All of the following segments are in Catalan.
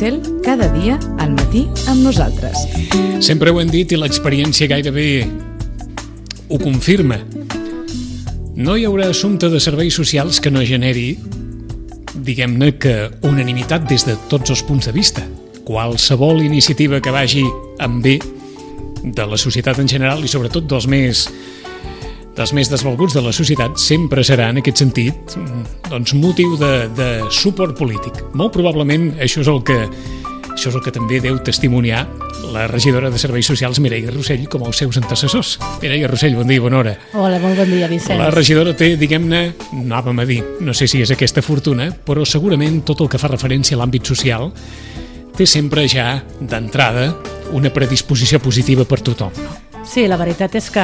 Rossell, cada dia al matí amb nosaltres. Sempre ho hem dit i l'experiència gairebé ho confirma. No hi haurà assumpte de serveis socials que no generi, diguem-ne que unanimitat des de tots els punts de vista. Qualsevol iniciativa que vagi en bé de la societat en general i sobretot dels més desvalguts de la societat sempre serà en aquest sentit motiu de suport polític. Molt probablement això és el que també deu testimoniar la regidora de Serveis Socials Mireia Rossell com els seus antecessors. Mireia Rossell, bon dia, bona hora. Hola, molt bon dia, Vicenç. La regidora té, diguem-ne, anàvem a dir, no sé si és aquesta fortuna, però segurament tot el que fa referència a l'àmbit social té sempre ja d'entrada una predisposició positiva per tothom, no? Sí, la veritat és que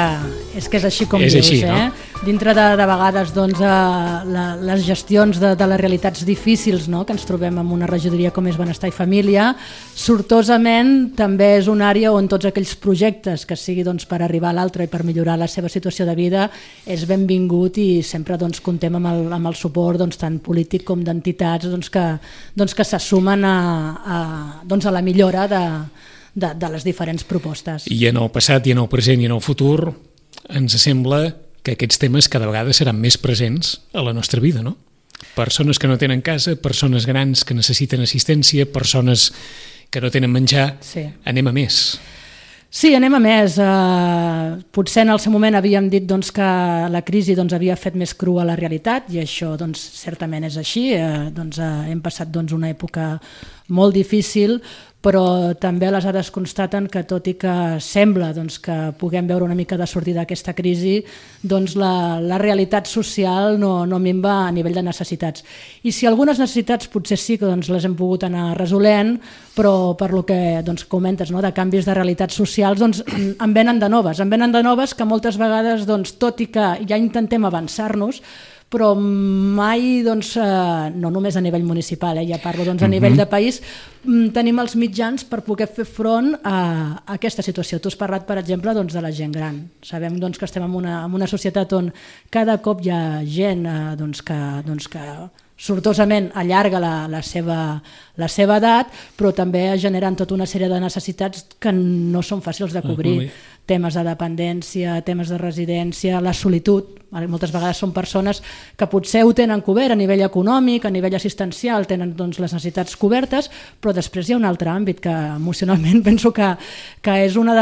és així com és dius, així, no? Dintre de vegades les gestions de les realitats difícils, no?, que ens trobem en una regidoria com és Benestar i Família, sortosament també és una àrea on tots aquells projectes que sigui per arribar a l'altre i per millorar la seva situació de vida és benvingut i sempre comptem amb el suport tant polític com d'entitats que s'assumen a la millora de les diferents propostes. I en el passat i en el present i en el futur ens sembla que aquests temes cada vegada seran més presents a la nostra vida, no? Persones que no tenen casa, persones grans que necessiten assistència, persones que no tenen menjar, sí. Anem a més. Sí, anem a més. Potser en el seu moment havíem dit que la crisi havia fet més crua la realitat i això certament és així. Hem passat una època molt difícil, però també les dades constaten que tot i que sembla que puguem veure una mica de sortida d'aquesta crisi, la realitat social no minva a nivell de necessitats. I si algunes necessitats potser sí que les hem pogut anar resolent, però per lo que comentes, de canvis de realitats socials, en venen de noves que moltes vegades, tot i que ja intentem avançar-nos, però mai, no només a nivell municipal, ja parlo a nivell de país, tenim els mitjans per poder fer front a aquesta situació. Tu has parlat, per exemple, de la gent gran. Sabem que estem en una societat on cada cop hi ha gent que sortosament allarga la seva edat, però també generen tota una sèrie de necessitats que no són fàcils de cobrir. Temes de dependència, temes de residència, la solitud. Moltes vegades són persones que potser ho tenen cobert a nivell econòmic, a nivell assistencial, tenen les necessitats cobertes, però després hi ha un altre àmbit que emocionalment penso que és un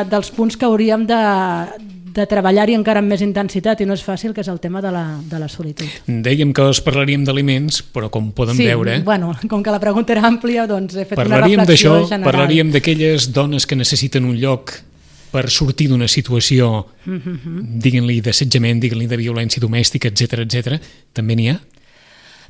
dels punts que hauríem de treballar-hi encara amb més intensitat i no és fàcil, que és el tema de la solitud. Dèiem que us parlaríem d'aliments, però com poden veure... Sí, com que la pregunta era àmplia, he fet una reflexió general. Parlaríem d'aquelles dones que necessiten un lloc per sortir d'una situació, diguin-li d'assetjament, diguin-li de violència domèstica, etc. També n'hi ha?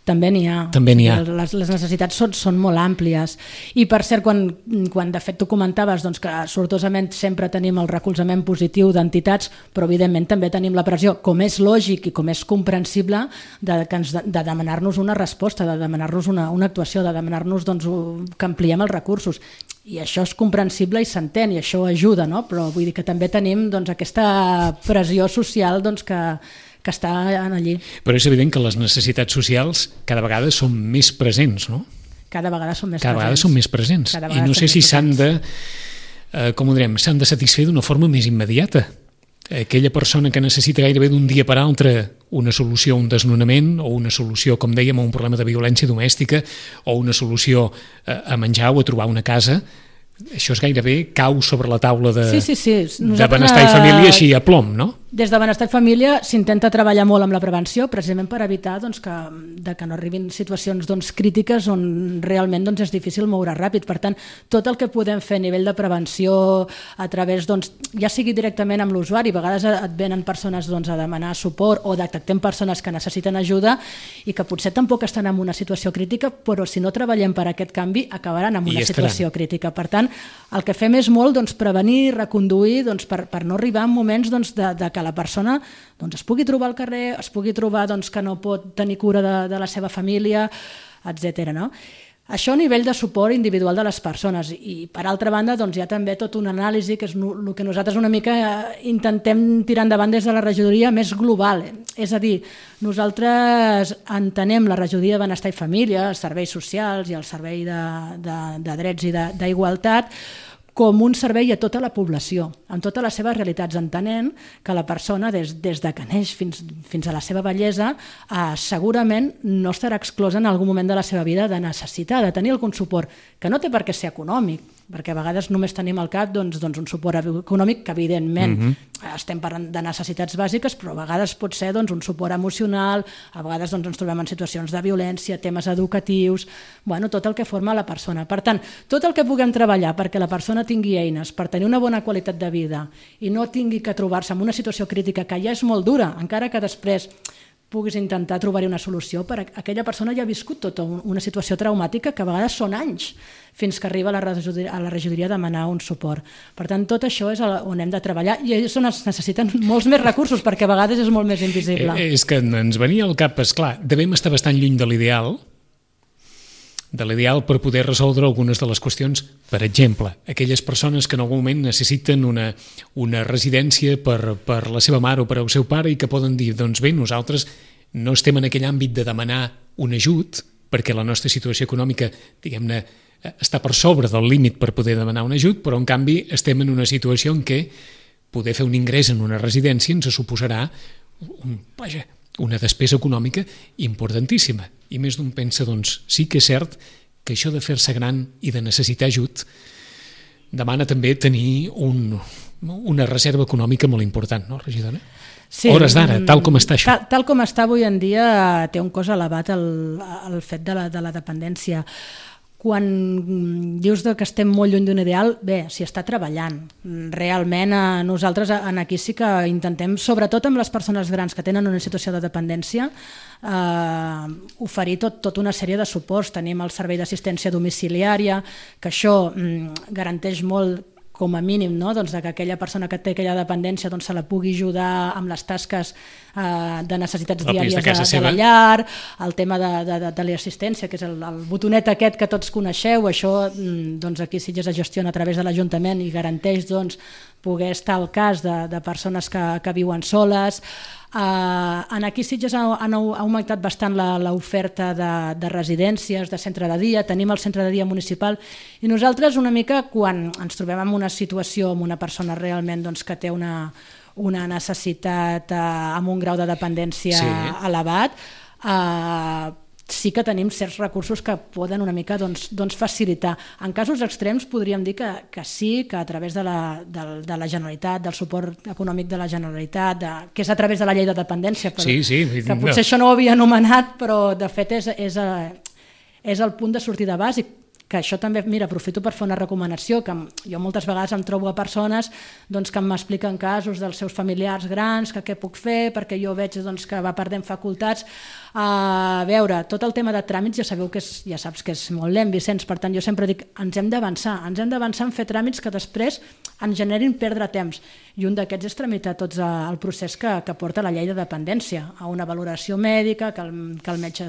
També n'hi ha. Les necessitats són molt àmplies. I per cert, quan de fet tu comentaves que sortosament sempre tenim el recolzament positiu d'entitats, però evidentment també tenim la pressió, com és lògic i com és comprensible, de demanar-nos una resposta, de demanar-nos una actuació, de demanar-nos que ampliem els recursos. I això és comprensible i s'entén, i això ajuda, no? Però vull dir que també tenim aquesta pressió social que està allí. Però és evident que les necessitats socials cada vegada són més presents, no? Cada vegada són més presents. I no sé si s'han de satisfer d'una forma més immediata. Aquella persona que necessita gairebé d'un dia per altre una solució a un desnonament o una solució, com dèiem, a un problema de violència domèstica o una solució a menjar o a trobar una casa, això és gairebé cau sobre la taula de Benestar i Família així a plom, no? Des de Benestar i Família s'intenta treballar molt amb la prevenció, precisament per evitar que no arribin situacions crítiques on realment és difícil moure ràpid. Per tant, tot el que podem fer a nivell de prevenció a través, ja sigui directament amb l'usuari, a vegades et venen persones a demanar suport o detectem persones que necessiten ajuda i que potser tampoc estan en una situació crítica, però si no treballem per aquest canvi acabaran en una situació crítica. Per tant, el que fem és molt prevenir, reconduir, per no arribar en moments de que la persona es pugui trobar al carrer, es pugui trobar que no pot tenir cura de la seva família, etc. No? Això a nivell de suport individual de les persones i per altra banda doncs, hi ha també tot una anàlisi que és el que nosaltres una mica intentem tirar endavant des de la regidoria més global, és a dir, nosaltres entenem la regidoria de Benestar i Família, els serveis socials i el servei de drets i d'igualtat com un servei a tota la població, en totes les seves realitats, entenent que la persona, des de que neix fins a la seva vellesa, segurament no estarà exclosa en algun moment de la seva vida de necessitar, de tenir algun suport, que no té per què ser econòmic, perquè a vegades només tenim al cap doncs, un suport econòmic que evidentment estem parlant de necessitats bàsiques, però a vegades pot ser doncs, un suport emocional, a vegades doncs, ens trobem en situacions de violència, temes educatius, bueno, tot el que forma la persona. Per tant, tot el que puguem treballar perquè la persona tingui eines per tenir una bona qualitat de vida i no tingui que trobar-se en una situació crítica que ja és molt dura, encara que després puguis intentar trobar-hi una solució, per aquella persona ja ha viscut tota una situació traumàtica que a vegades són anys fins que arriba a la regidoria a demanar un suport. Per tant, tot això és on hem de treballar i és on es necessiten molts més recursos perquè a vegades és molt més invisible. És que ens venia al cap, esclar, devem estar bastant lluny de l'ideal per poder resoldre algunes de les qüestions. Per exemple, aquelles persones que en algun moment necessiten una residència per la seva mare o per al seu pare i que poden dir, doncs bé, nosaltres no estem en aquell àmbit de demanar un ajut perquè la nostra situació econòmica, diguem-ne, està per sobre del límit per poder demanar un ajut, però en canvi estem en una situació en què poder fer un ingrés en una residència ens suposarà una despesa econòmica importantíssima. I més d'un pensa, doncs, sí que és cert que això de fer-se gran i de necessitar ajut demana també tenir una reserva econòmica molt important, no, regidora? Sí, hores d'ara, tal com està això. Tal com està avui en dia té un cost elevat el fet de la dependència. Quan dius que estem molt lluny d'un ideal, bé, s'hi està treballant. Realment nosaltres aquí sí que intentem, sobretot amb les persones grans que tenen una situació de dependència, oferir tota una sèrie de suports. Tenim el servei d'assistència domiciliària, que això garanteix molt com a mínim, no? Doncs que aquella persona que té aquella dependència se la pugui ajudar amb les tasques de necessitats diàries de la llar, el tema de l'assistència, que és el botonet aquest que tots coneixeu, això aquí sí que es gestiona a través de l'Ajuntament i garanteix poder estar al cas de persones que viuen soles. En aquí Sitges ha augmentat bastant l'oferta de residències, de centre de dia, tenim el centre de dia municipal i nosaltres una mica quan ens trobem en una situació amb una persona realment que té una necessitat amb un grau de dependència elevat, sí que tenim certs recursos que poden una mica facilitar. En casos extrems podríem dir que sí, que a través de la Generalitat, del suport econòmic de la Generalitat, que és a través de la llei de dependència, que potser això no ho havia anomenat, però de fet és el punt de sortida bàsic, que això també, mira, aprofito per fer una recomanació, que jo moltes vegades em trobo a persones que m'expliquen casos dels seus familiars grans, que què puc fer, perquè jo veig que va perdent facultats. A veure, tot el tema de tràmits ja saps que és molt lent, Vicenç, per tant jo sempre dic, ens hem d'avançar en fer tràmits que després ens generin perdre temps, i un d'aquests és tramitar tot el procés que porta la llei de dependència, a una valoració mèdica, que el metge,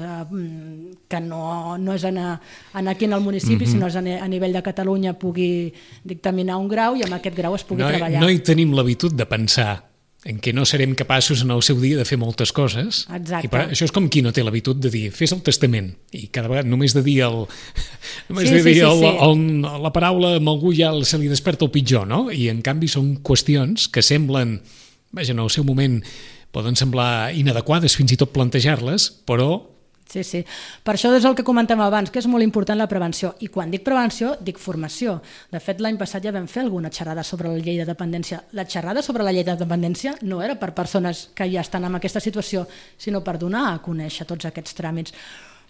que no és aquí en el municipi, sinó és a nivell de Catalunya, pugui dictaminar un grau i amb aquest grau es pugui treballar. No hi tenim l'habitud de pensar en què no serem capaços en el seu dia de fer moltes coses. Exacte. I això és com qui no té l'habitud de dir fes el testament i cada vegada només de dir la paraula amb algú ja se li desperta el pitjor, no? I en canvi són qüestions que semblen, en el seu moment poden semblar inadequades fins i tot plantejar-les, però Sí. Per això és el que comentàvem abans, que és molt important la prevenció. I quan dic prevenció, dic formació. De fet, l'any passat ja vam fer alguna xerrada sobre la llei de dependència. La xerrada sobre la llei de dependència no era per persones que ja estan en aquesta situació, sinó per donar a conèixer tots aquests tràmits.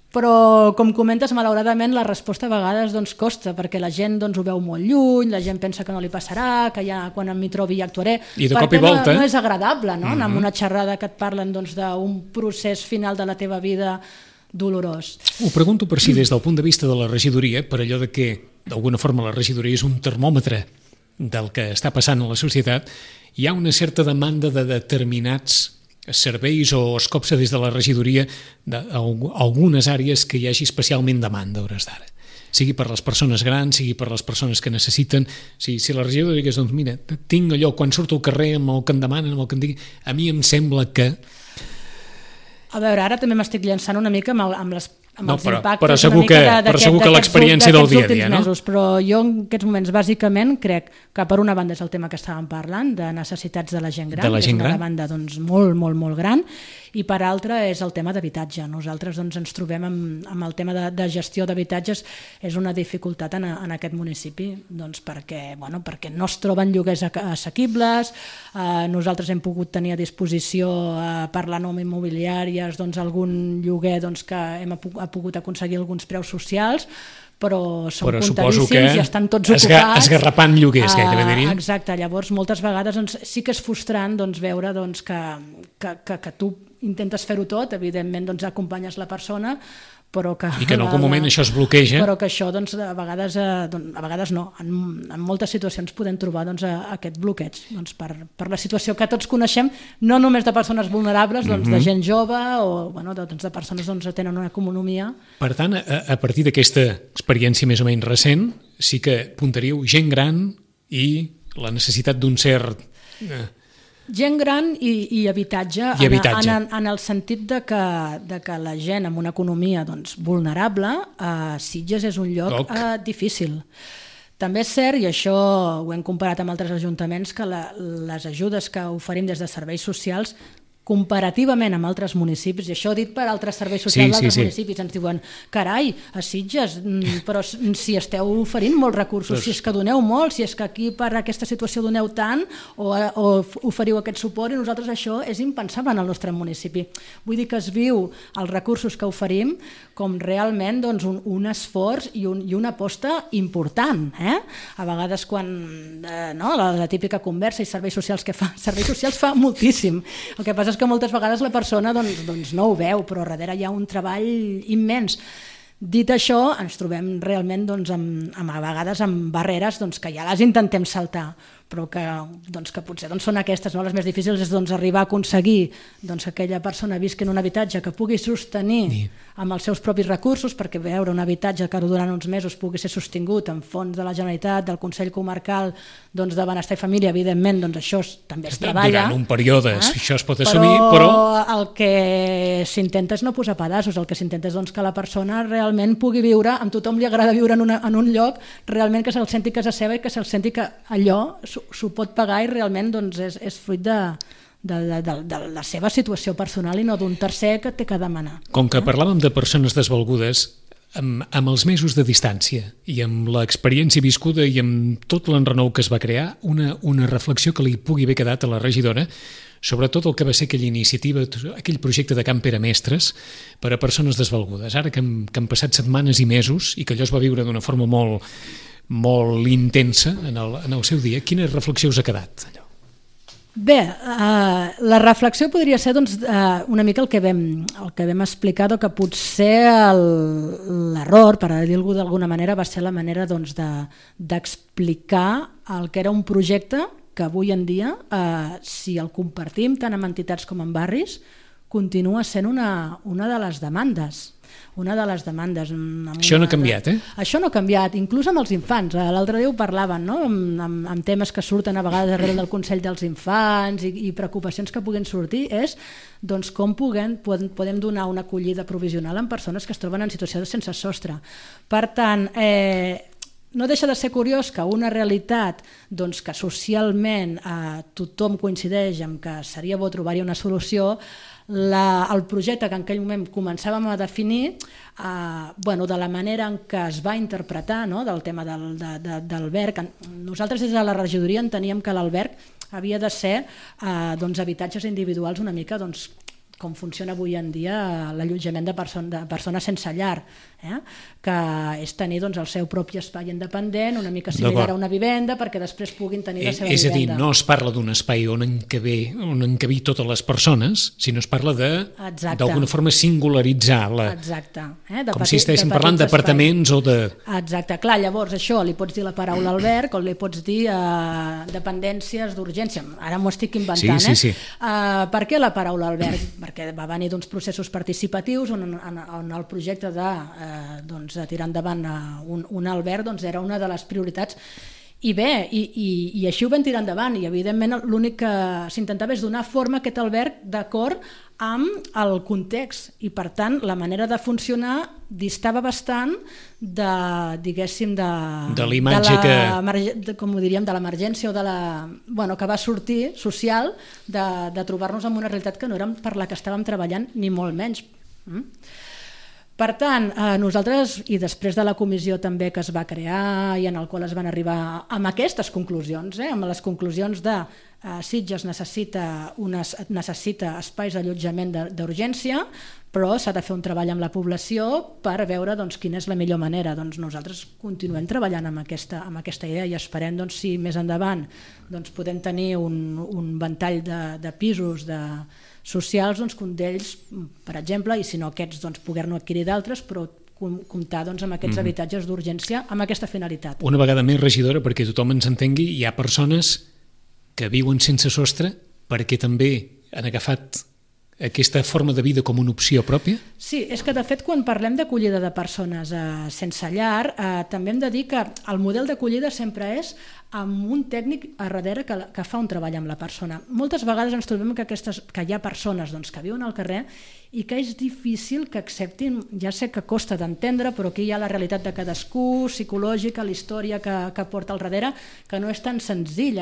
Però, com comentes, malauradament la resposta a vegades costa, perquè la gent ho veu molt lluny, la gent pensa que no li passarà, que ja quan m'hi trobi ja actuaré. I de cop i volta no és agradable, no? Anar amb una xerrada que et parlen d'un procés final de la teva vida dolorós. Ho pregunto per si des del punt de vista de la regidoria, per allò de que d'alguna forma la regidoria és un termòmetre del que està passant a la societat, hi ha una certa demanda de determinats serveis o es copsa des de la regidoria d'algunes àrees que hi hagi especialment demanda a hores d'ara. sigui per les persones grans, sigui per les persones que necessiten. Si la regidora digués, doncs mira, tinc allò, quan surto al carrer amb el que em demanen, amb el que em diguin, a mi em sembla que... A veure, ara també m'estic llançant una mica amb els impactes però segur que l'experiència del dia a dia, no? Mesos, però jo en aquests moments bàsicament crec que per una banda és el tema que estàvem parlant, de necessitats de la gent gran, que és una demanda doncs, molt, molt, molt gran, i per altra és el tema d'habitatge. Nosaltres doncs, ens trobem amb el tema de gestió d'habitatges, és una dificultat en aquest municipi, doncs, perquè no es troben lloguers assequibles. Nosaltres hem pogut tenir a disposició per la norma immobiliària doncs, algun lloguer doncs, que hem pogut aconseguir alguns preus socials, però són contadíssims i estan tots ocupats. Esgarrapant lloguers, gairebé diria. Exacte, llavors moltes vegades doncs, sí que és frustrant doncs, veure doncs, que tu intentes fer-ho tot, evidentment doncs, acompanyes la persona, però que... I que en algun moment això es bloqueja. Però que això doncs, a vegades no, en moltes situacions podem trobar doncs, aquest bloqueig doncs, per la situació que tots coneixem, no només de persones vulnerables, doncs, de gent jove o de persones doncs, que tenen una economia. Per tant, a partir d'aquesta experiència més o menys recent, sí que apuntaríeu gent gran i la necessitat d'un cert... Gent gran i habitatge, en el sentit de que la gent amb una economia doncs, vulnerable, Sitges és un lloc difícil. També és cert, i això ho hem comparat amb altres ajuntaments, que les ajudes que oferim des de serveis socials comparativament amb altres municipis, i això dit per altres serveis socials d'altres municipis, ens diuen, carai, a Sitges, però si esteu oferint molts recursos, si és que doneu molt, si és que aquí per aquesta situació doneu tant, o oferiu aquest suport, i nosaltres això és impensable en el nostre municipi. Vull dir que es viu els recursos que oferim com realment doncs, un esforç i una aposta important. A vegades quan la típica conversa i serveis socials que fa, serveis socials fa moltíssim. El que passa és que moltes vegades la persona doncs no ho veu, però darrere hi ha un treball immens. Dit això, ens trobem realment doncs, a vegades amb barreres doncs, que ja les intentem saltar, però que potser doncs, són aquestes, no? Les més difícils és doncs, arribar a aconseguir doncs, que aquella persona visqui en un habitatge que pugui sostenir amb els seus propis recursos, perquè veure un habitatge que durant uns mesos pugui ser sostingut amb fons de la Generalitat, del Consell Comarcal doncs, de Benestar i Família, evidentment doncs, això també es treballa. Durant un període això es pot assumir, però... el que s'intenta és no posar pedaços, el que s'intenta és doncs, que la persona realment pugui viure, amb tothom li agrada viure en un lloc, realment que se'l senti casa seva i que se'l senti que allò s'ho pot pagar i realment doncs, és fruit de la seva situació personal i no d'un tercer que té que demanar. Com que parlàvem de persones desvalgudes, amb els mesos de distància i amb l'experiència viscuda i amb tot l'enrenou que es va crear, una reflexió que li pugui haver quedat a la regidora sobre tot el que va ser aquella iniciativa, aquell projecte de Camp Pere Mestres per a persones desvalgudes. Ara que han passat setmanes i mesos i que allò es va viure d'una forma molt intensa en el seu dia, quina reflexió us ha quedat allò? Bé, la reflexió podria ser doncs, una mica el que vam explicar, que potser l'error, per dir-ho d'alguna manera, va ser la manera doncs, d'explicar el que era un projecte que avui en dia, si el compartim tant amb entitats com amb barris, continua sent una de les demandes. Això no ha canviat, Això no ha canviat, inclús amb els infants. L'altre dia ho parlaven, no? amb temes que surten a vegades darrere del Consell dels Infants i preocupacions que puguin sortir, és doncs, com podem donar una acollida provisional a persones que es troben en situació de sense sostre. Per tant, no deixa de ser curiós que una realitat doncs, que socialment tothom coincideix en que seria bo trobar-hi una solució, el projecte que en aquell moment començàvem a definir, de la manera en què es va interpretar, no? Del tema d'alberg, nosaltres des de la regidoria enteníem que l'alberg havia de ser habitatges individuals una mica com funciona avui en dia l'allotjament de persones sense llar, que és tenir el seu propi espai independent, una mica similar a una vivenda, perquè després puguin tenir la seva vivenda. És a dir, no es parla d'un espai on encabir totes les persones, sinó es parla d'alguna forma singularitzar com si estiguéssim parlant d'apartaments o de... Exacte, clar, llavors això li pots dir la paraula alberg o li pots dir dependències d'urgència, ara m'ho estic inventant. Sí. Per què la paraula alberg? perquè va venir d'uns processos participatius on el projecte de tirar endavant un alberg era una de les prioritats. I bé, i així ho vam tirar endavant, i evidentment l'únic que s'intentava és donar forma a aquest alberg d'acord amb el context, i per tant la manera de funcionar distava bastant de, diguéssim, de l'imatge com ho diríem, de l'emergència o de que va sortir social de trobar-nos en una realitat que no era per la que estàvem treballant, ni molt menys. Per tant, nosaltres, i després de la comissió també que es va crear i en el qual es van arribar amb aquestes conclusions, amb les conclusions de Sitges necessita espais d'allotjament d'urgència, però s'ha de fer un treball amb la població per veure quina és la millor manera. Nosaltres continuem treballant amb aquesta idea i esperem si més endavant podem tenir un ventall de pisos socials, que un d'ells, per exemple, i si no aquests, poder-ne adquirir d'altres, però comptar amb aquests habitatges d'urgència amb aquesta finalitat. Una vegada més, regidora, perquè tothom ens entengui, hi ha persones que viuen sense sostre perquè també han agafat aquesta forma de vida com una opció pròpia? Sí, és que de fet quan parlem d'acollida de persones sense llar, també hem de dir que el model d'acollida sempre és amb un tècnic a darrere que fa un treball amb la persona. Moltes vegades ens trobem que hi ha persones que viuen al carrer i que és difícil que acceptin, ja sé que costa d'entendre, però aquí hi ha la realitat de cadascú, psicològica, la història que porta al darrere, que no és tan senzill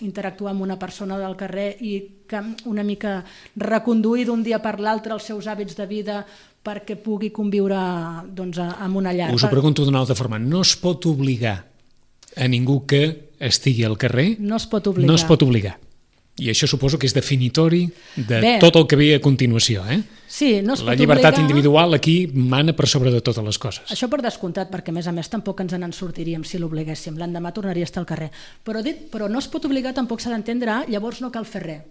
interactuar amb una persona del carrer i que una mica reconduir d'un dia per l'altre els seus hàbits de vida perquè pugui conviure amb una llar. Us ho pregunto d'una altra forma, no es pot obligar a ningú que estigui al carrer? No es pot obligar. No es pot obligar. I això suposo que és definitori de tot el que ve a continuació. Sí, no es pot la llibertat individual aquí mana per sobre de totes les coses. Això per descomptat, perquè a més tampoc ens en sortiríem si l'obliguéssim. L'endemà tornaria a estar al carrer. Però no es pot obligar, tampoc s'ha d'entendre, llavors no cal fer res.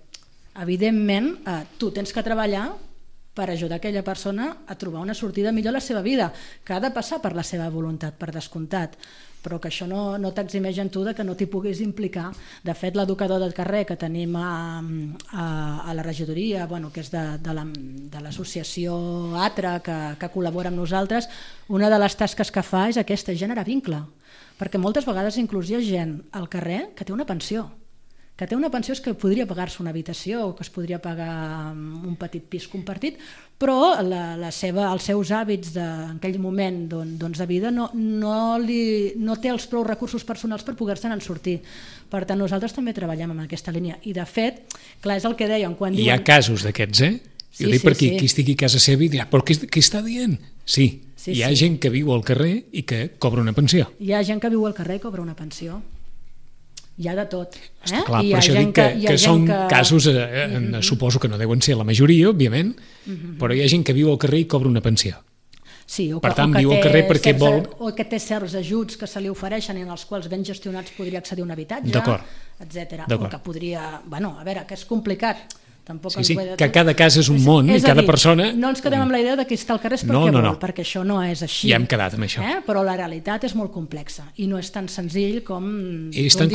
Evidentment, tu tens que treballar per ajudar aquella persona a trobar una sortida millor a la seva vida, que ha de passar per la seva voluntat, per descomptat, però que això no t'eximeix en tu de que no t'hi puguis implicar. De fet, l'educador del carrer que tenim a la regidoria, que és de l'associació ATRA, que col·labora amb nosaltres, una de les tasques que fa és aquesta, generar vincle, perquè moltes vegades inclús hi ha gent al carrer que té una pensió, és que podria pagar-se una habitació o que es podria pagar un petit pis compartit, però els seus hàbits en aquell moment de vida no té els prou recursos personals per poder-se'n sortir. Per tant, nosaltres també treballem en aquesta línia. I de fet, clar, és el que dèiem. Hi ha casos d'aquests, Jo dic perquè qui estigui a casa seva i dirà, però què està dient? Sí, hi ha gent que viu al carrer i que cobra una pensió. Hi ha gent que viu al carrer i cobra una pensió. Hi ha de tot. Està clar, per això dic que són casos, suposo que no deuen ser la majoria, òbviament, però hi ha gent que viu al carrer i cobra una pensió. Sí, per tant, viu al carrer perquè vol... O que té certs ajuts que se li ofereixen i en els quals ben gestionats podria accedir a un habitatge, etc. O que podria... a veure, que és complicat. Sí, que cada casa és un món i cada persona... No ens quedem amb la idea que està al carrer és perquè vol, perquè això no és així. Ja hem quedat amb això. Però la realitat és molt complexa i no és tan senzill com és tan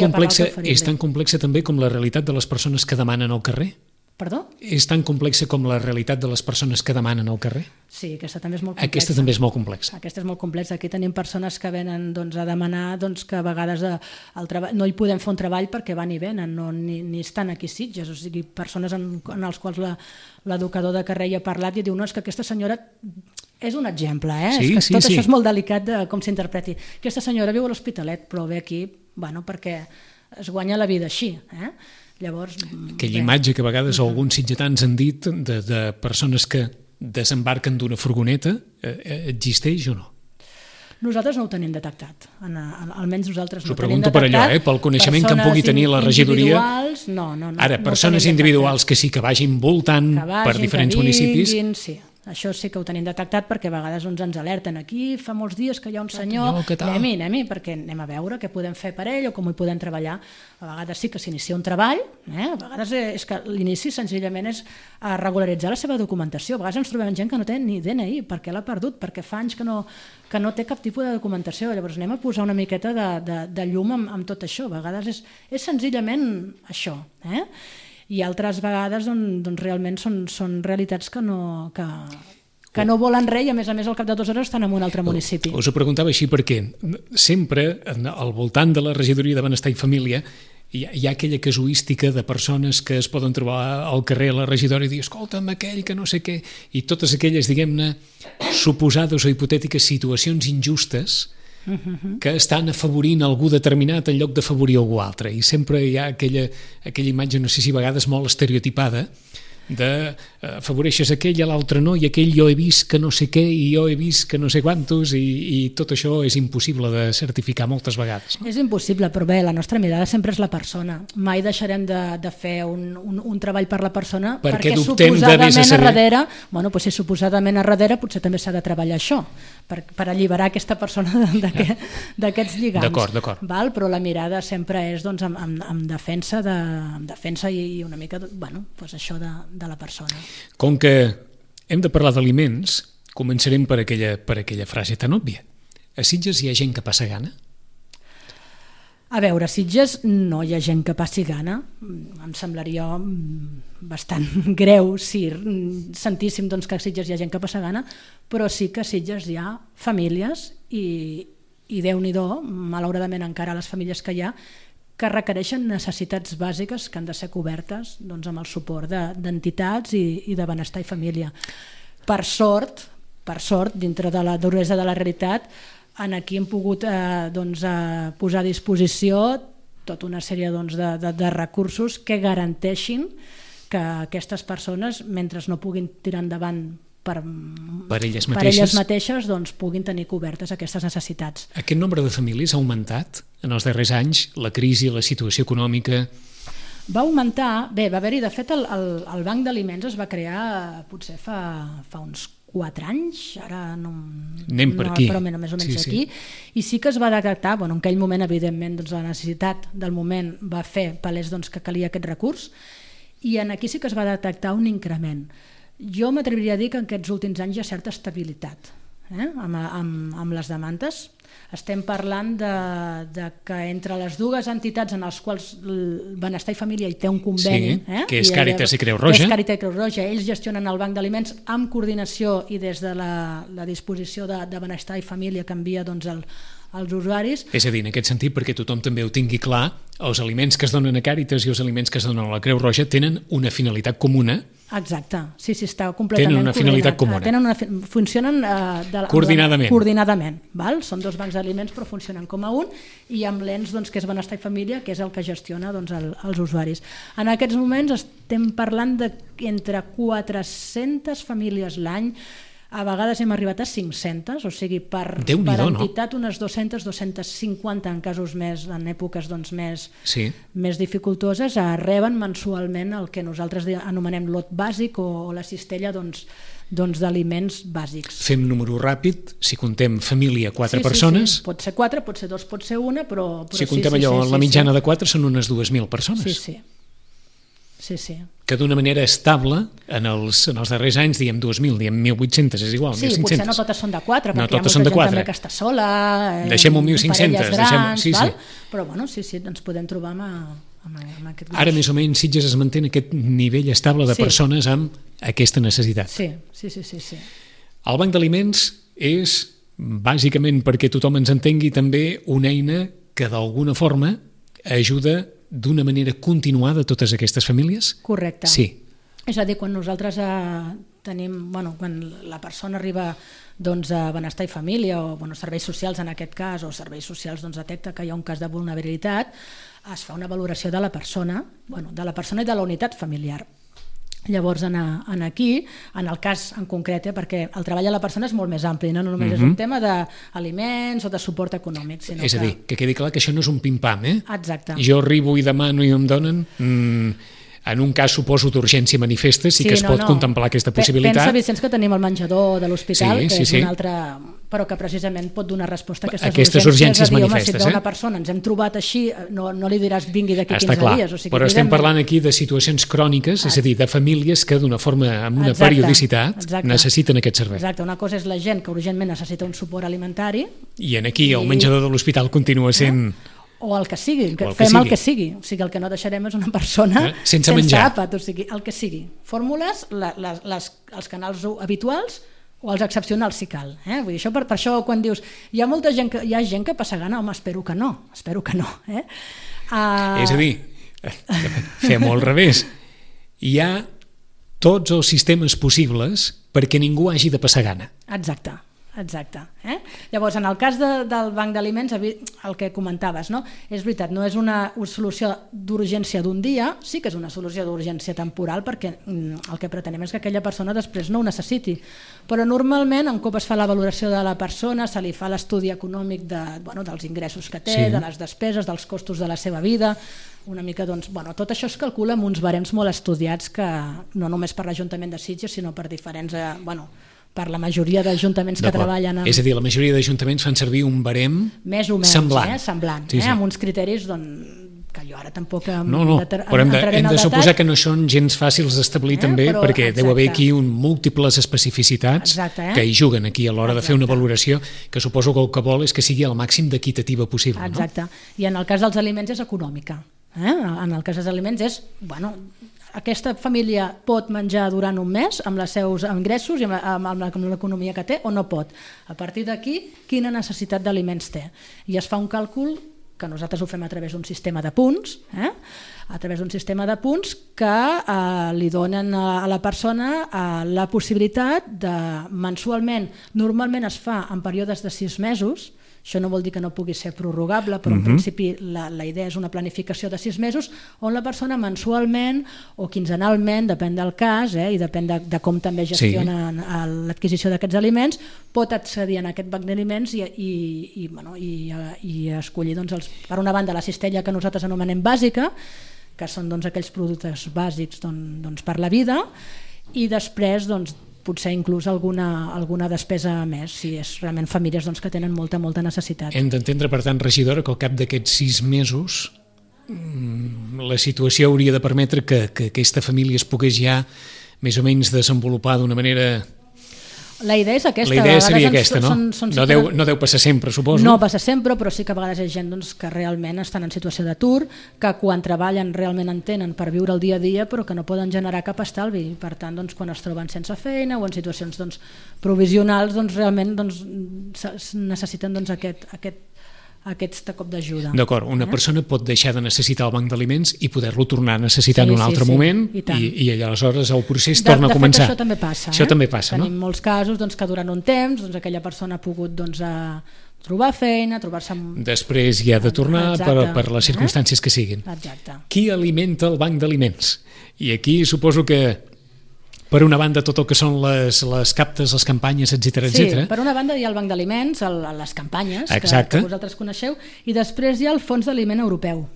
complexa també com la realitat de les persones que demanen al carrer? Perdó? És tan complexa com la realitat de les persones que demanen al carrer? Sí, aquesta també és molt complexa. Aquesta també és molt complexa. Aquesta és molt complexa. Aquí tenim persones que venen a demanar que a vegades no hi podem fer un treball perquè van i venen, ni estan aquí a Sitges. O sigui, persones en els quals l'educador de carrer hi ha parlat i diu, no, és que aquesta senyora... És un exemple, Sí, és que tot això és molt delicat de com s'interpreti. Aquesta senyora viu a l'Hospitalet, però ve aquí perquè es guanya la vida així, Llavors, aquella imatge que a vegades alguns sitgetans han dit de persones que desembarquen d'una furgoneta, existeix o no? Nosaltres no ho tenim detectat, almenys nosaltres no ho tenim detectat. S'ho pregunto per allò, pel coneixement que en pugui tenir la regidoria. No. Ara, persones individuals que sí que vagin voltant per diferents municipis... Sí. Això sí que ho tenim detectat perquè a vegades ens alerten aquí, fa molts dies que hi ha un senyor, anem-hi, perquè anem a veure què podem fer per ell o com hi podem treballar. A vegades sí que s'inicia un treball, a vegades és que l'inici senzillament és regularitzar la seva documentació. A vegades ens trobem gent que no té ni DNI, perquè l'ha perdut, perquè fa anys que no té cap tipus de documentació. Llavors anem a posar una miqueta de llum amb tot això. A vegades és senzillament això, i altres vegades doncs realment són realitats que no volen res, i a més al cap de 2 hores estan en un altre municipi. Us ho preguntava així perquè sempre al voltant de la regidoria de Benestar i Família hi ha aquella casuística de persones que es poden trobar al carrer a la regidora i dir, escolta'm, aquell que no sé què, i totes aquelles, diguem-ne, suposades o hipotètiques situacions injustes que estan afavorint algú determinat en lloc d'afavorir algú altre, i sempre hi ha aquella imatge, no sé si a vegades molt estereotipada, de afavoreixes aquell i l'altre no, i aquell jo he vist que no sé què i jo he vist que no sé quantos, i tot això és impossible de certificar moltes vegades, no? És impossible, però bé, la nostra mirada sempre és la persona. Mai deixarem de fer un treball per la persona, perquè suposadament a darrere potser també s'ha de treballar això, per alliberar aquesta persona d'aquests lligams. D'acord. Però la mirada sempre és doncs, en defensa i una mica això de la persona. Com que hem de parlar d'aliments, començarem per aquella frase tan òbvia. A Sitges hi ha gent que passa gana? A veure, a Sitges no hi ha gent que passi gana. Em semblaria bastant greu si sentíssim doncs, que a Sitges hi ha gent que passa gana, però sí que a Sitges hi ha famílies i Déu-n'hi-do, malauradament encara les famílies que hi ha, que requereixen necessitats bàsiques que han de ser cobertes doncs, amb el suport d'entitats i de benestar i família. Per sort, dintre de la duresa de la realitat, aquí hem pogut posar a disposició tota una sèrie de recursos que garanteixin que aquestes persones, mentre no puguin tirar endavant per elles mateixes doncs, puguin tenir cobertes aquestes necessitats. Aquest nombre de famílies ha augmentat en els darrers anys? La crisi, la situació econòmica? Va augmentar, va haver-hi, de fet el Banc d'Aliments es va crear potser fa uns 4 anys, ara anem per aquí, però més o menys aquí, i sí que es va detectar, en aquell moment evidentment doncs, la necessitat del moment va fer palès que calia aquest recurs, i aquí sí que es va detectar un increment. Jo m'atreviria a dir que en aquests últims anys hi ha certa estabilitat amb les demandes. Estem parlant de que entre les dues entitats en les quals el Benestar i Família hi té un conveni, que és Càritas i Creu Roja, ells gestionen el Banc d'Aliments amb coordinació i des de la disposició de Benestar i Família que envia als usuaris. És a dir, en aquest sentit, perquè tothom també ho tingui clar, els aliments que es donen a Càritas i els aliments que es donen a la Creu Roja tenen una finalitat comuna. Exacte, sí, està completament tenen una finalitat comuna. Funcionen coordinadament. Són 2 bancs d'aliments però funcionen com a un, i amb l'ens que és Benestar i Família, que és el que gestiona els usuaris. En aquests moments estem parlant d'entre 400 famílies l'any, a vegades hem arribat a 500, o sigui, per entitat unes 200-250 en casos en èpoques més dificultoses, reben mensualment el que nosaltres anomenem lot bàsic o la cistella d'aliments bàsics. Fem número ràpid, si contem família 4 persones... Sí, pot ser 4, pot ser 2, pot ser 1, però si contem allò, la mitjana de 4 són unes 2.000 persones. Sí. Que d'una manera estable, en els darrers anys, diem 2.000, diem 1.800, és igual, 1.500. Sí, potser no totes són de 4, perquè hi ha molta gent també que està sola, deixem un 1.500, grans, però ens podem trobar amb aquest gruix. Ara més o menys Sitges es manté en aquest nivell estable de persones amb aquesta necessitat. Sí. El Banc d'Aliments és, bàsicament perquè tothom ens entengui, també una eina que d'alguna forma ajuda d'una manera continuada a totes aquestes famílies? Correcte. Sí. És a dir, quan nosaltres quan la persona arriba a Benestar i Família o serveis socials en aquest cas, o serveis socials detecta que hi ha un cas de vulnerabilitat, es fa una valoració de la persona i de la unitat familiar. Llavors, aquí, en el cas en concret, perquè el treball de la persona és molt més ampli, no només és un tema d'aliments o de suport econòmic. És a dir, que quedi clar que això no és un pim-pam, Exacte. Jo arribo i demano i em donen... En un cas, suposo, d'urgència manifesta, sí que es pot contemplar aquesta possibilitat. Pensa, Vicenç, que tenim el menjador de l'hospital, que és un altre... però que precisament pot donar resposta a aquestes urgències manifestes. Si una persona ens hem trobat així, no li diràs vingui d'aquí 15 dies. Però estem parlant aquí de situacions cròniques, és a dir, de famílies que d'una forma, amb una periodicitat, necessiten aquest servei. Exacte, una cosa és la gent que urgentment necessita un suport alimentari. I aquí el menjador de l'hospital continua sent o el que sigui, el que sigui. O sigui, el que no deixarem és una persona sense menjar. àpat, o sigui, el que sigui. Fórmules, els canals habituals o els excepcionals si cal. Vull dir, per això quan dius hi ha gent que passa gana, home, espero que no. És a dir, fem-ho al revés. Hi ha tots els sistemes possibles perquè ningú hagi de passar gana. Exacte. Llavors, en el cas del banc d'aliments, el que comentaves, no? És veritat, no és una solució d'urgència d'un dia, sí que és una solució d'urgència temporal perquè el que pretenem és que aquella persona després no ho necessiti, però normalment un cop es fa la valoració de la persona se li fa l'estudi econòmic dels ingressos que té, de les despeses, dels costos de la seva vida, una mica, tot això es calcula amb uns barems molt estudiats que no només per l'Ajuntament de Sitges sinó per diferents, per la majoria d'ajuntaments que treballen és a dir, la majoria d'ajuntaments fan servir un barem més o menys semblant, amb uns criteris que jo ara tampoc però hem de suposar que no són gens fàcils d'establir també, perquè deu haver aquí múltiples especificitats que hi juguen aquí a l'hora de fer una valoració que suposo que el que vol és que sigui el màxim d'equitativa possible. Exacte, i en el cas dels aliments és econòmica. En el cas dels aliments és, aquesta família pot menjar durant un mes amb els seus ingressos i amb l'economia que té o no pot. A partir d'aquí, quina necessitat d'aliments té? I es fa un càlcul que nosaltres ho fem a través d'un sistema de punts, a través d'un sistema de punts que li donen a la persona la possibilitat de mensualment, normalment es fa en períodes de 6 mesos, això no vol dir que no pugui ser prorrogable, però en principi la idea és una planificació de 6 mesos on la persona mensualment o quinzenalment, depèn del cas i depèn de com també gestionen l'adquisició d'aquests aliments, pot accedir a aquest banc d'aliments i escollir per una banda la cistella que nosaltres anomenem bàsica, que són aquells productes bàsics per la vida, i després potser inclús alguna despesa més, si és realment famílies que tenen molta necessitat. Hem d'entendre, per tant, regidora, que al cap d'aquests 6 mesos la situació hauria de permetre que aquesta família es pogués ja més o menys desenvolupar d'una manera... La idea és aquesta. La idea seria aquesta, no? No deu passar sempre, suposo. No passa sempre, però sí que a vegades hi ha gent que realment estan en situació d'atur, que quan treballen realment en tenen per viure el dia a dia, però que no poden generar cap estalvi. Per tant, quan es troben sense feina o en situacions provisionals, realment necessiten aquest cop d'ajuda. D'acord, una persona pot deixar de necessitar el banc d'aliments i poder-lo tornar a necessitar en un altre moment i aleshores el procés torna a començar. De fet, això també passa. Tenim molts casos que durant un temps aquella persona ha pogut trobar feina, trobar-se... Després hi ha de tornar per les circumstàncies que siguin. Exacte. Qui alimenta el banc d'aliments? I aquí suposo que per una banda tot el que són les captes, les campanyes, etc. Sí, per una banda hi ha el banc d'aliments, les campanyes que vosaltres coneixeu, i després hi ha el Fons d'Aliment Europeu,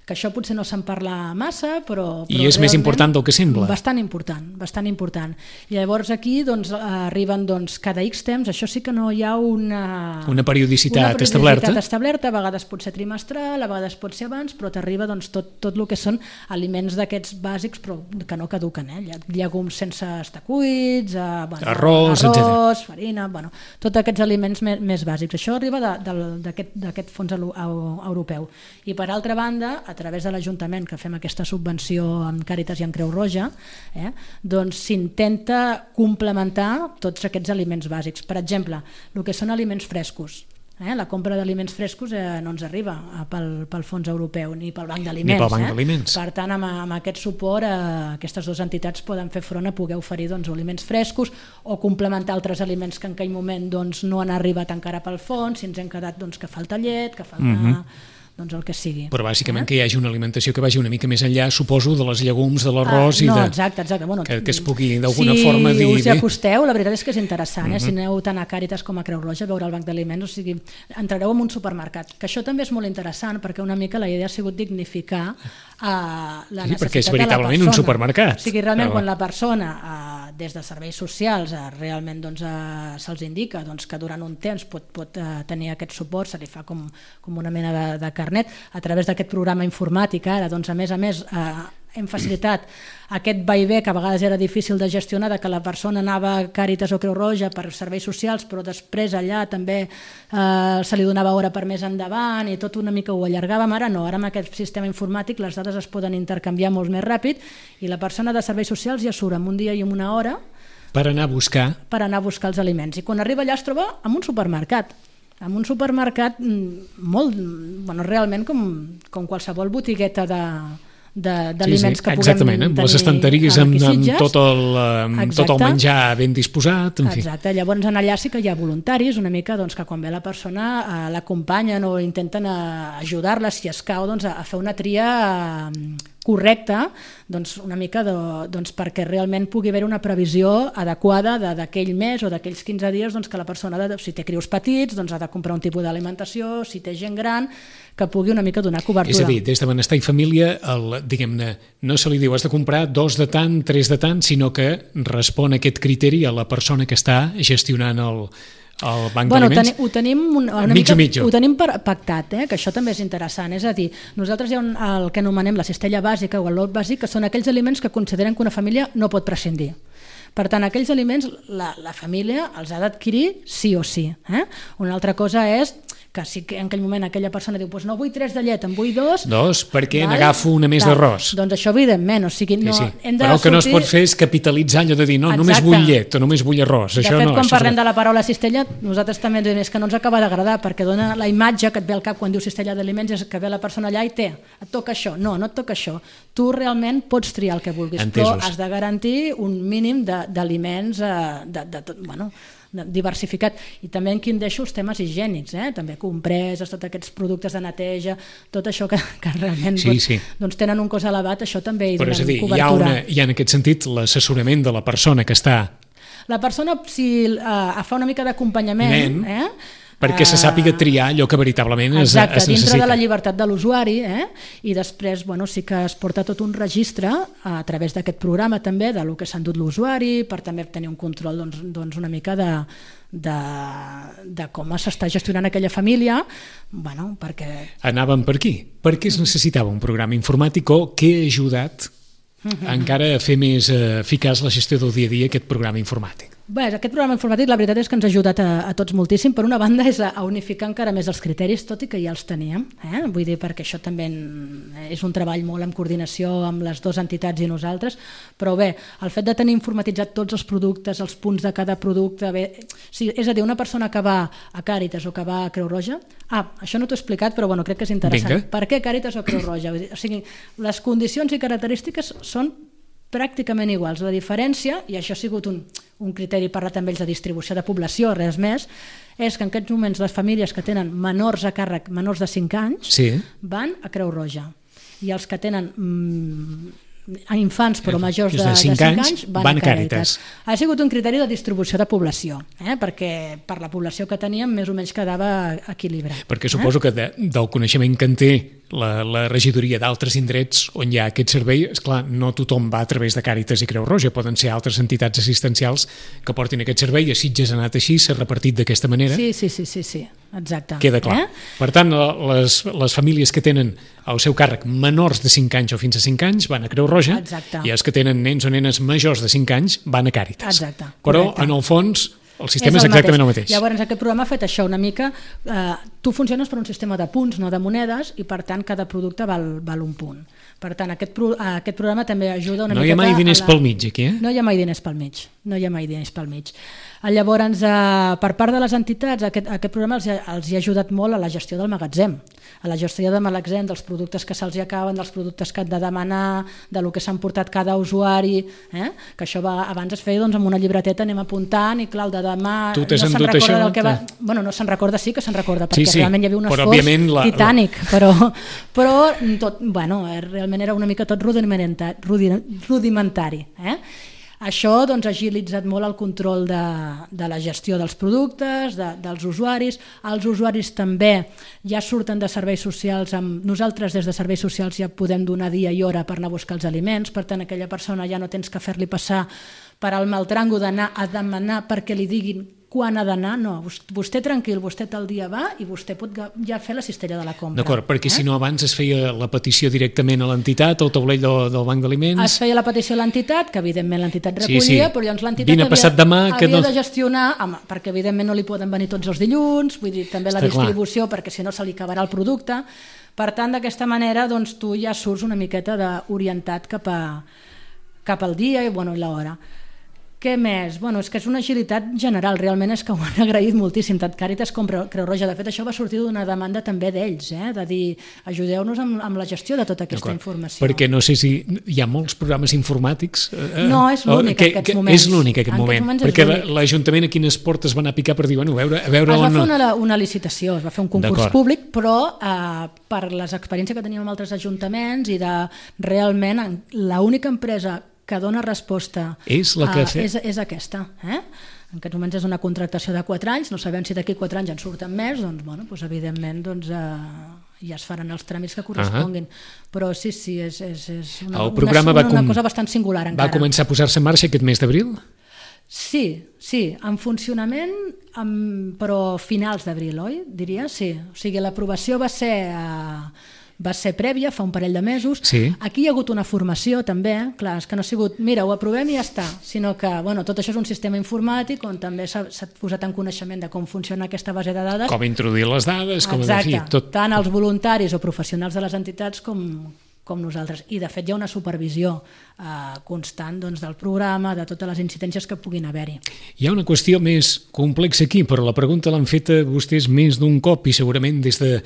que això potser no se'n parla massa, però i és més important del que sembla. Bastant important. I llavors aquí arriben cada X temps, això sí que no hi ha una periodicitat establerta, a vegades pot ser trimestral, a vegades pot ser abans, però t'arriba tot el que són aliments d'aquests bàsics però que no caduquen, llegums sense estar cuits, arròs, farina, tots aquests aliments més bàsics. Això arriba d'aquest fons europeu. I per altra banda, a través de l'Ajuntament, que fem aquesta subvenció amb Càritas i amb Creu Roja, s'intenta complementar tots aquests aliments bàsics. Per exemple, el que són aliments frescos. La compra d'aliments frescos no ens arriba pel fons europeu ni pel banc d'aliments. Per tant, amb aquest suport aquestes dues entitats poden fer front a poder oferir aliments frescos o complementar altres aliments que en aquell moment no han arribat encara pel fons, si ens hem quedat que falta llet, que falta... el que sigui. Però bàsicament que hi hagi una alimentació que vagi una mica més enllà, suposo, de les llegums, de l'arròs i exacte. Que es pugui d'alguna forma dir... Si us hi acosteu, la veritat és que és interessant, si aneu tant a Càritas com a Creu Roja a veure el banc d'aliments, o sigui, entrareu en un supermercat, que això també és molt interessant perquè una mica la idea ha sigut dignificar la necessitat de la persona. Perquè és veritablement un supermercat. O sigui, realment quan la persona des de serveis socials realment se'ls indica que durant un temps pot tenir aquest suport, se li fa com una mena de carnet a través d'aquest programa informàtic ara, a més hem facilitat aquest vaivé que a vegades era difícil de gestionar, de que la persona anava a Càritas o Creu Roja per serveis socials, però després allà també se li donava hora per més endavant i tot una mica ho allargàvem. Ara no, ara amb aquest sistema informàtic les dades es poden intercanviar molt més ràpid i la persona de serveis socials ja surt en un dia i en una hora per anar a buscar els aliments. I quan arriba allà es troba en un supermercat. En un supermercat molt, bueno, realment com qualsevol botigueta d'aliments que puguem tenir. Exactament, amb les estanteries amb tot el menjar ben disposat, en fi. Exacte, llavors allà sí que hi ha voluntaris, una mica que quan ve la persona l'acompanyen o intenten ajudar-la, si escau, a fer una tria correcta, una mica perquè realment pugui haver una previsió adequada d'aquell mes o d'aquells 15 dies que la persona, si té crios petits, ha de comprar un tipus d'alimentació, si té gent gran, que pugui una mica donar cobertura. És a dir, des de Benestar i Família, diguem-ne, no se li diu has de comprar 2 de tant, 3 de tant, sinó que respon aquest criteri a la persona que està gestionant el banc d'aliments? Ho tenim ho tenim pactat, que això també és interessant. És a dir, nosaltres hi ha el que anomenem la cistella bàsica o el lot bàsic, que són aquells aliments que consideren que una família no pot prescindir. Per tant, aquells aliments la família els ha d'adquirir sí o sí. Una altra cosa és que si en aquell moment aquella persona diu no vull 3 de llet, en vull 2... 2, perquè n'agafo una més d'arròs. Doncs això, evidentment, però el que no es pot fer és capitalitzar allò de dir només vull llet o només vull arròs. De fet, quan parlem de la paraula cistella, nosaltres també diem que no ens acaba d'agradar, perquè dona la imatge que et ve al cap quan diu cistella d'aliments, és que ve la persona allà i et toca això. No et toca això. Tu realment pots triar el que vulguis, però has de garantir un mínim d'aliments diversificat. I també aquí en deixo els temes higiènics, també compreses, tots aquests productes de neteja, tot això que realment tenen un cost elevat, això també hi donen cobertura. Però és a dir, hi ha en aquest sentit l'assessorament de la persona que està... La persona, si fa una mica d'acompanyament... perquè se sàpiga triar allò que veritablement es necessita. Exacte, dintre de la llibertat de l'usuari, i després sí que es porta tot un registre a través d'aquest programa també del que s'ha endut l'usuari, per també tenir un control una mica de com s'està gestionant aquella família, perquè... Anàvem per aquí. Per què es necessitava un programa informàtic o què ha ajudat encara a fer més eficaç la gestió del dia a dia aquest programa informàtic? Bé, aquest programa informàtic la veritat és que ens ha ajudat a tots moltíssim. Per una banda és a unificar encara més els criteris, tot i que ja els teníem, vull dir, perquè això també és un treball molt en coordinació amb les dues entitats i nosaltres, però bé, el fet de tenir informatitzat tots els productes, els punts de cada producte, és a dir, una persona que va a Càritas o que va a Creu Roja, això no t'ho he explicat, però crec que és interessant. Per què Càritas o Creu Roja? O sigui, les condicions i característiques són pràcticament iguals. La diferència, i això ha sigut un criteri parlat amb ells de distribució de població, res més, és que en aquests moments les famílies que tenen menors a càrrec, menors de 5 anys, van a Creu Roja. I els que tenen infants però majors de 5 anys van a Càritas. Ha sigut un criteri de distribució de població, perquè per la població que teníem més o menys quedava equilibrat. Perquè suposo que del coneixement que en té la regidoria d'altres indrets on hi ha aquest servei, esclar, no tothom va a través de Càritas i Creu Roja, poden ser altres entitats assistencials que portin aquest servei, i a Sitges ha anat així, s'ha repartit d'aquesta manera. Sí, exacte. Queda clar. Per tant, les famílies que tenen al seu càrrec menors de 5 anys o fins a 5 anys van a Creu Roja, i els que tenen nens o nenes majors de 5 anys van a Càritas. Però, en el fons, el sistema és exactament el mateix. Llavors, aquest programa ha fet això una mica. Tu funciones per un sistema de punts, no de monedes, i per tant cada producte val un punt. Per tant, aquest programa també ajuda una mica... No hi ha mai diners pel mig, aquí, No hi ha mai diners pel mig. Llavors, per part de les entitats, aquest programa els hi ha ajudat molt a la gestió del magatzem, a la gestió del magatzem, dels productes que se'ls acaben, dels productes que han de demanar, del que s'han portat cada usuari, que això abans es feia amb una llibreteta, anem apuntant, i clar, el de demà no se'n recorda del que va... Bueno, no se'n recorda, sí que se'n recorda, perquè realment hi havia un esforç titànic, però tot, realment era una mica tot rudimentari. Això ha agilitzat molt el control de la gestió dels productes, dels usuaris. Els usuaris també ja surten de serveis socials. Nosaltres des de serveis socials ja podem donar dia i hora per anar a buscar els aliments, per tant aquella persona ja no tens que fer-li passar per al maltrango d'anar a demanar perquè li diguin quan ha d'anar, no. Vostè tranquil, vostè tal dia va i vostè pot ja fer la cistella de la compra. D'acord, perquè si no abans es feia la petició directament a l'entitat, al taulell del Banc d'Aliments... Es feia la petició a l'entitat, que evidentment l'entitat recollia, però llavors l'entitat havia de gestionar, perquè evidentment no li poden venir tots els dilluns, vull dir, també la distribució, perquè si no se li acabarà el producte. Per tant, d'aquesta manera, doncs, tu ja surts una miqueta orientat cap al dia i l'hora. Què més? És que és una agilitat general, realment és que ho han agraït moltíssim, tant Càritas com Creu Roja. De fet, això va sortir d'una demanda també d'ells, de dir, ajudeu-nos amb la gestió de tota aquesta informació. Perquè no sé si hi ha molts programes informàtics... No, és l'únic en aquests moments. És l'únic en aquest moment, perquè l'Ajuntament a quines portes van a picar per dir, a veure... Es va fer una licitació, es va fer un concurs públic, però per les experiències que teníem amb altres ajuntaments i de realment l'única empresa que dona resposta és aquesta. En aquests moments és una contractació de 4 anys, no sabem si d'aquí 4 anys en surten més, doncs evidentment ja es faran els tràmits que corresponguin. Però sí, és una cosa bastant singular encara. Va començar a posar-se en marxa aquest mes d'abril? Sí, en funcionament, però finals d'abril, oi? Diria, sí. O sigui, l'aprovació va ser prèvia, fa un parell de mesos. Sí. Aquí hi ha hagut una formació també, clar, és que no ha sigut, mira, ho aprovem i ja està, sinó que tot això és un sistema informàtic on també s'ha posat en coneixement de com funciona aquesta base de dades. Com introduir les dades, com Exacte, tant els voluntaris o professionals de les entitats com nosaltres. I de fet hi ha una supervisió constant del programa, de totes les incidències que puguin haver-hi. Hi ha una qüestió més complexa aquí, però la pregunta l'han feta vostès més d'un cop i segurament des de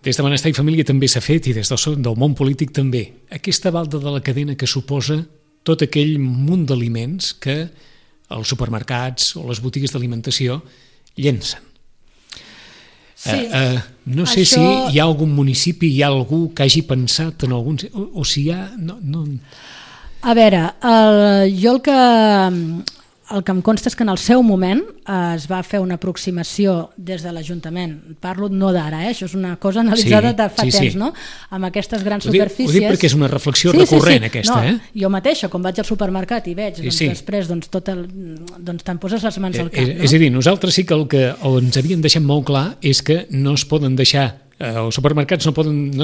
Benestar i Família també s'ha fet i des del món polític també. Aquesta balda de la cadena que suposa tot aquell munt d'aliments que els supermercats o les botigues d'alimentació llencen. Sí, no sé si hi ha algun municipi, hi ha algú que hagi pensat en algun... O si hi ha... No... A veure, jo el que em consta és que en el seu moment es va fer una aproximació des de l'Ajuntament. Parlo no d'ara, això és una cosa analitzada de fa temps, no? Amb aquestes grans superfícies... Ho dic perquè és una reflexió recurrent aquesta, Jo mateixa, quan vaig al supermercat i veig, després te'n poses les mans al cap, no? És a dir, nosaltres sí que el que ens havien deixat molt clar és que no es poden deixar als supermercats no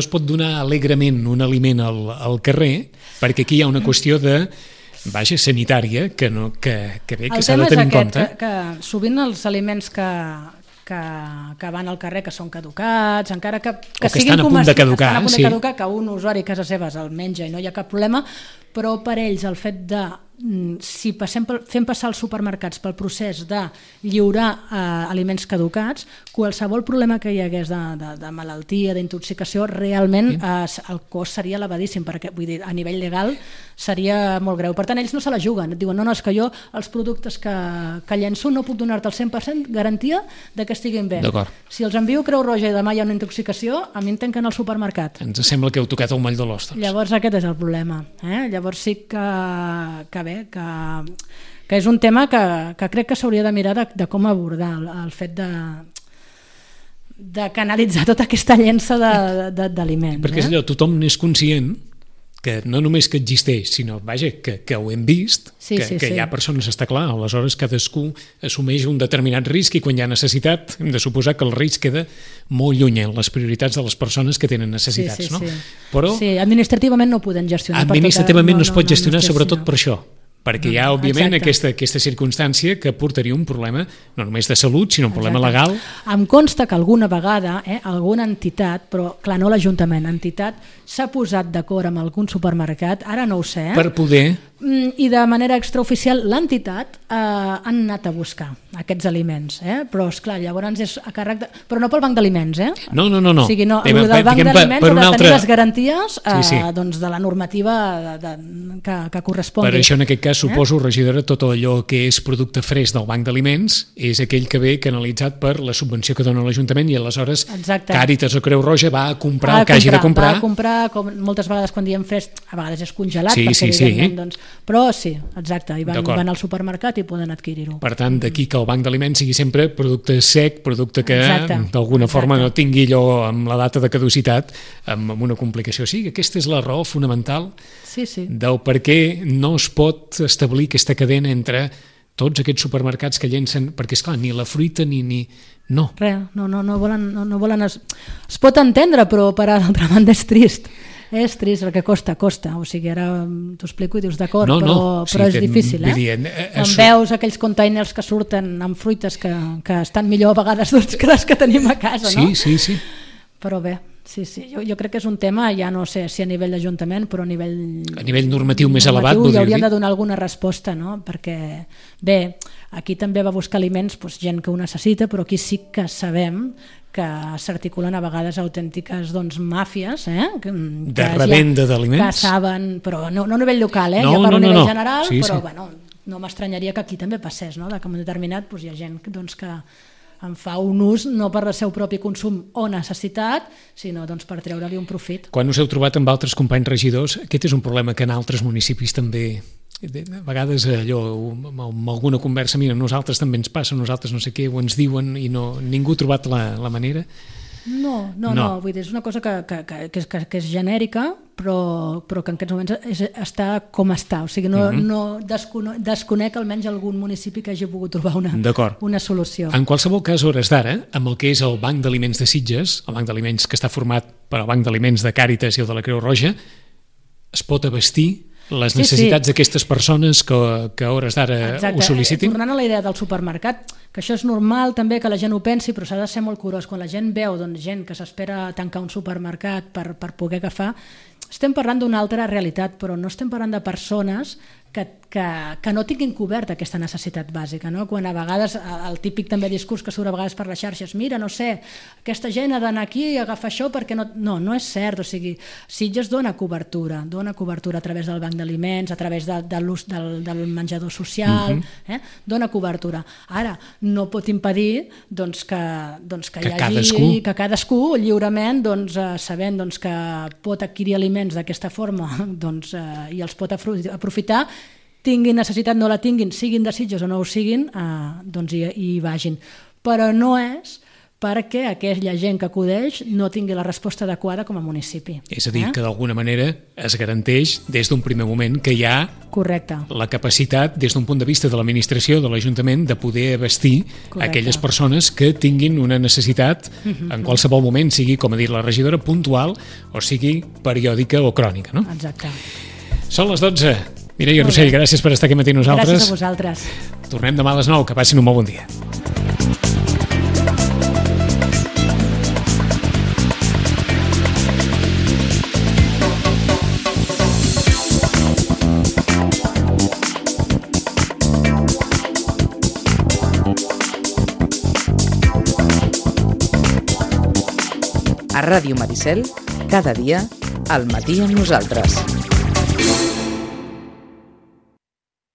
es pot donar alegrement un aliment al carrer, perquè aquí hi ha una qüestió de sanitària que s'ha de tenir en compte. El tema és que sovint els aliments que van al carrer que són caducats, encara que estan a punt de caducar, que un usuari a casa seva el menja i no hi ha cap problema, però per ells el fet de si fem passar els supermercats pel procés de lliurar aliments caducats, qualsevol problema que hi hagués de malaltia, d'intoxicació, realment el cost seria elevadíssim, perquè vull dir, a nivell legal seria molt greu. Per tant, ells no se la juguen, et diuen, no, és que jo els productes que llenço no puc donar-te el 100% garantia de que estiguin bé. Si els envio a Creu Roja i demà hi ha una intoxicació, a mi em tanquen al supermercat. Ens sembla que heu tocat el moll de l'os. Llavors aquest és el problema. Llavors sí que és un tema que crec que s'hauria de mirar de com abordar el fet de canalitzar tota aquesta llença d'aliments. Perquè és allò, tothom n'és conscient que no només que existeix, sinó que ho hem vist, que hi ha persones, està clar, aleshores cadascú assumeix un determinat risc i quan hi ha necessitat hem de suposar que el risc queda molt lluny en les prioritats de les persones que tenen necessitats. Però administrativament no ho poden gestionar. Administrativament no es pot gestionar sobretot per això, perquè hi ha, òbviament, aquesta circumstància que portaria un problema no només de salut, sinó un problema legal. Em consta que alguna vegada alguna entitat, però clar, no l'Ajuntament, entitat s'ha posat d'acord amb algun supermercat, ara no ho sé, per poder... I de manera extraoficial l'entitat han anat a buscar aquests aliments, però esclar, llavors és a càrrec de... Però no pel banc d'aliments, No. O sigui, no, el del banc d'aliments ha de tenir les garanties de la normativa que correspongui. Per això en aquest cas suposo, regidora, tot allò que és producte fresc del banc d'aliments és aquell que ve canalitzat per la subvenció que dona l'Ajuntament i aleshores Càritas o Creu Roja va a comprar el que hagi de comprar. Va a comprar, com moltes vegades quan diem fresc, a vegades és congelat, perquè evidentment, però sí, exacte, i van al supermercat i poden adquirir-ho. Per tant, d'aquí que el banc d'aliments sigui sempre producte sec, producte que d'alguna forma no tingui allò amb la data de caducitat, amb una complicació. Sí, aquesta és la raó fonamental del per què no es pot establir aquesta cadena entre Tots aquests supermercats que llencen, perquè esclar, ni la fruita ni... No. Res, no volen... Es pot entendre, però per altra banda és trist. És trist, el que costa. O sigui, ara t'ho explico i dius d'acord, però és difícil, Quan veus aquells containers que surten amb fruites que estan millor a vegades que les que tenim a casa, no? Sí. Però bé, sí, jo crec que és un tema, ja no sé si a nivell d'Ajuntament, però a nivell normatiu més elevat, hi haurien de donar alguna resposta, no? Perquè, bé, aquí també va buscar aliments gent que ho necessita, però aquí sí que sabem que s'articulen a vegades autèntiques màfies de revenda d'aliments, que saben, però no a nivell local, ja per un nivell general, però bueno, no m'estranyaria que aquí també passés, no? Que en un determinat hi ha gent que en fa un ús no per el seu propi consum o necessitat, sinó per treure-li un profit. Quan us heu trobat amb altres companys regidors, aquest és un problema que en altres municipis també, a vegades allò, amb alguna conversa, mira, nosaltres també ens passa, nosaltres no sé què, o ens diuen i ningú ha trobat la manera? No, vull dir, és una cosa que és genèrica, però que en aquests moments està com està, o sigui, no desconec almenys algun municipi que hagi pogut trobar una solució. En qualsevol cas, a hores d'ara, amb el que és el Banc d'Aliments de Sitges, el Banc d'Aliments que està format per el Banc d'Aliments de Càritas i el de la Creu Roja, es pot abastir les necessitats d'aquestes persones que a hores d'ara ho sol·licitin? Tornant a la idea del supermercat, que això és normal també que la gent ho pensi, però s'ha de ser molt curós. Quan la gent veu gent que s'espera tancar un supermercat per poder agafar, estem parlant d'una altra realitat, però no estem parlant de persones que no tinguin coberta aquesta necessitat bàsica, no? Quan a vegades el típic també discurs que surt a vegades per les xarxes, mira, no sé, aquesta gent ha d'anar aquí i agafar això perquè no és cert, o sigui, Sitges dona cobertura a través del banc d'aliments, a través de l'ús del menjador social, dona cobertura. Ara, no pot impedir que hi hagi que cadascú lliurement, sabent que pot adquirir aliments d'aquesta forma i els pot aprofitar, tinguin necessitat, no la tinguin, siguin de Sitges o no ho siguin, hi vagin. Però no és perquè aquella gent que acudeix no tingui la resposta adequada com a municipi. És a dir, que d'alguna manera es garanteix des d'un primer moment que hi ha la capacitat, des d'un punt de vista de l'administració, de l'Ajuntament, de poder abastir aquelles persones que tinguin una necessitat en qualsevol moment, sigui, com ha dit la regidora, puntual o sigui periòdica o crònica. No? Exacte. Són les 12. Mireia Rossell, gràcies per estar aquí matí amb nosaltres. Gràcies a vosaltres. Tornem demà a les 9, que passin un molt bon dia. A Ràdio Maricel, cada dia, al matí amb nosaltres.